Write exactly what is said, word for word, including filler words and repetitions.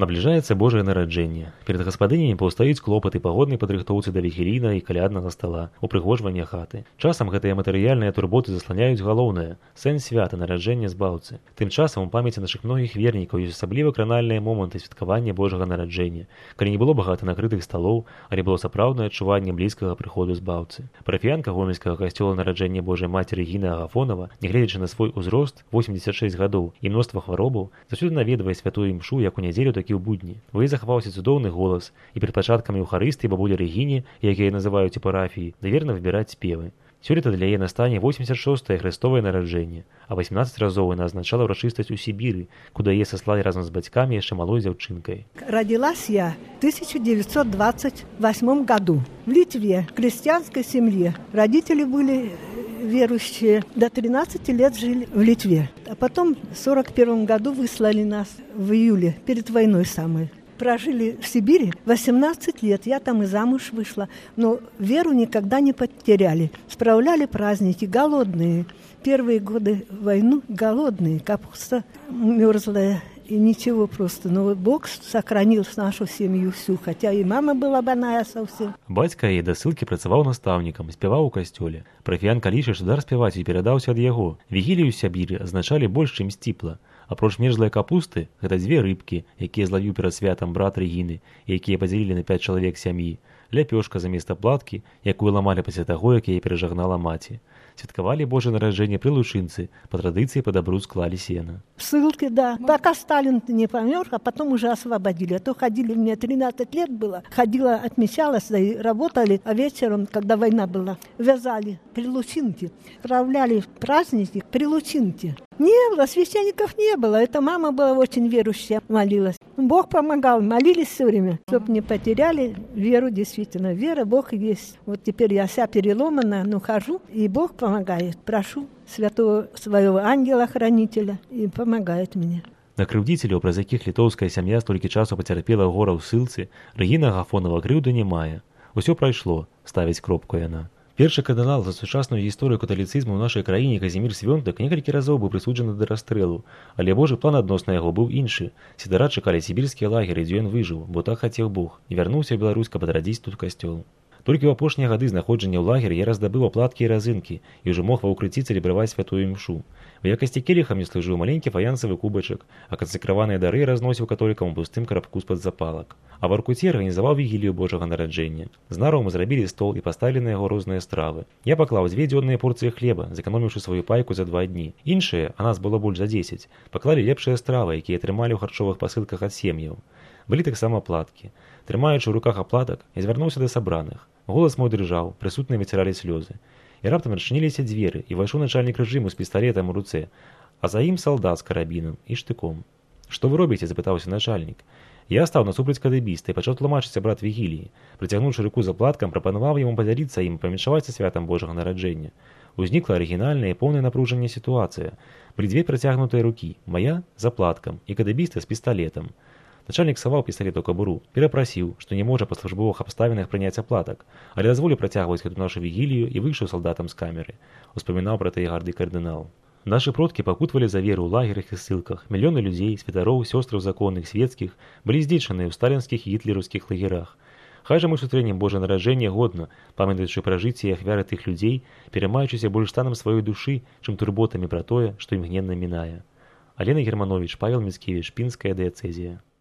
Набліжаецца Божае нараджэнне. Перад гаспадынямі паўстаюць клопаты пагоднай падрыхтоўцы да вігілійнага і каляднага стала, упрыгожвання хаты. Часам гэтыя матэрыяльныя турботы засланяюць галоўнае сэнс свята нараджэння збаўцы. Тым часам у памяці нашых многіх вернікаў ёсць асабліва кранальныя моманты святкавання Божага нараджэння, калі не было багата накрытых сталоў, але было сапраўднае адчуванне блізкага прыходу збаўцы. Парафіянка гомельскага касцёла нараджэння Божай Мацеры Гіна Агафонава, нягледзячы на свой узрост восемьдесят шесть гадоў і мноства хваробаў, заўсёды наведвае святую імшу як у нядзелю, такі ў будні. У ёй захаваўся цудоўны голас, і перад пачаткамі Еўхарыстыі бабуля Рэгіне, як яе называюць у парафіі, даверна выбіраць спевы. Сёлета для яе настане восемьдесят шостае хрыстовае нараджэнне, а восемнадцать разоў яна азначала ўрачыстасць у Сібіры, куды яе саслалі разам з бацькамі яшчэ малой дзяўчынкай. Родилась я в тысяча девятьсот двадцать восьмом году в Литве, в крестьянской семье. Родители были верующие, до тринадцати лет жили в Литве. А потом в сорок первом году выслали нас в июле, перед войной самой. Прожили в Сибири восемнадцать лет, я там и замуж вышла, но веру никогда не потеряли. Справляли праздники, голодные. Первые годы войны голодные, капуста мерзлая. И ничего просто. Но Бог сохранил нашу семью всю, хотя и мама была больная совсем. Бацька яе да ссылкі працаваў настаўнікам, спяваў у касцёле. Парафіянка лічыць, што дар спяваць і перадаўся ад яго. Вігілію ў Сябіры азначалі больш, чым сціпла. Апроч мерзлай капусты, гэта дзве рыбкі, якія злавіў перад святам брат Рэгіны, і якія падзялілі на пяць чалавек сям'і, ляпёшка заместа платкі, якую ламалі пасля таго, як яе перажагнала маці. Святкавалі Божае нараджэнне пры лучынцы, па традыцыі па дабру склалі сена. В ссылке, да. Пока Сталин не помер, а потом уже освободили. А то ходили, мне тринадцать лет было, ходила, отмечалась, и работали, а вечером, когда война была, вязали при лучинке, справляли праздники при лучинке. Не было, священников не было. Это мама была очень верующая, молилась. Бог помогал, молились все время, чтобы не потеряли веру, действительно. Вера, Бог есть. Вот теперь я вся переломана, но хожу, и Бог помогает. Прошу святого своего ангела-хранителя, и помогает мне. На крыўдзіцеляў, праз якіх літоўская сям'я столькі часу пацярпела гора ў ссылцы, Рэгіна Агафонава крыўды не мае. Усё прайшло, ставіць кропку яна. Першы кардынал за сучасную гісторыю каталіцызму ў нашай краіне Казімір Свёнтак некалькі разоў быў прысуджаны да расстрэлу, але Божы план адносна яго быў іншы. Сідара чакалі сібірскія лагеры, дзе ён выжыў, бо так хацеў Бог, і вярнуўся ў Беларусь, каб адрадзіць тут касцёл. Толькі ў апошнія гады знаходжання ў лагеры я раздабыў аплаткі і разынкі і ўжо мог ва ўкрыцці цэлебраваць святую імшу. У якасці келіха мне служыў маленькі фаянсавы кубачак, а кансакраваныя дары разносіў католікам у пустым карабку з-пад запалак. А в Аркуце арганізаваў вігілію Божага нараджэння. З нараў мы зрабілі стол і паставілі на яго розныя стравы. Я паклаў дзве дзённыя порцыі хлеба, зэканоміўшы сваю пайку за два дні. Іншыя, а нас было больш за дзесяць, паклалі лепшыя стравы, якія атрымалі ў харчовых пасылках ад сем'яў. Былі таксама аплаткі. Трымаючы ў руках аплатак, я звярнуўся да сабраных. Голас мой дрыжаў, прысутныя выціралі слёзы. І раптам адчыніліся дзверы, і вайшоў начальнік рэжыму з пісталетам у руцэ, а за ім салдат з карабінам і штыком. «Што вы робіце?» – запытаўся начальнік. Я стаў насупраць кадыбіста і пачаў тлумачыць брат вігіліі. Прыцягнуўшы руку за платкам, прапанаваў яму падзяліцца ім, памяншаваць са святам Божага нараджэння. Узнікла арыгінальная і поўнае напружанне сітуацыя. Былі дзве працягнутыя рукі, мая за платкам і кадыбіста з пісталетам. Начальнік саваў пісталет у кабуру, перапрасіў, што не можа па службовых абставінах прыняць аплатак, але дазволіў працягваць гэту нашу вігілію і выйшаў салдатам з камеры. Успамінаў пра тыя гарды кардынал. Нашы продкі пакутвалі за веру ў лагерах і ссылках. Мільёны людзей, святароў, сёстраў законных, свецкіх, былі здзечаныя ў сталінскіх і гітлераўскіх лагерах. Хай жа мы сустрэнем Божае нараджэнне годна, памятаючы пра жыцці і ахвяры тых людзей, пераймаючыся больш станам сваёй душы, чым турботамі пра тое, што імгненна мінае. Алена Германович, Павел Міцкевіч, Пінская дыяцэзія.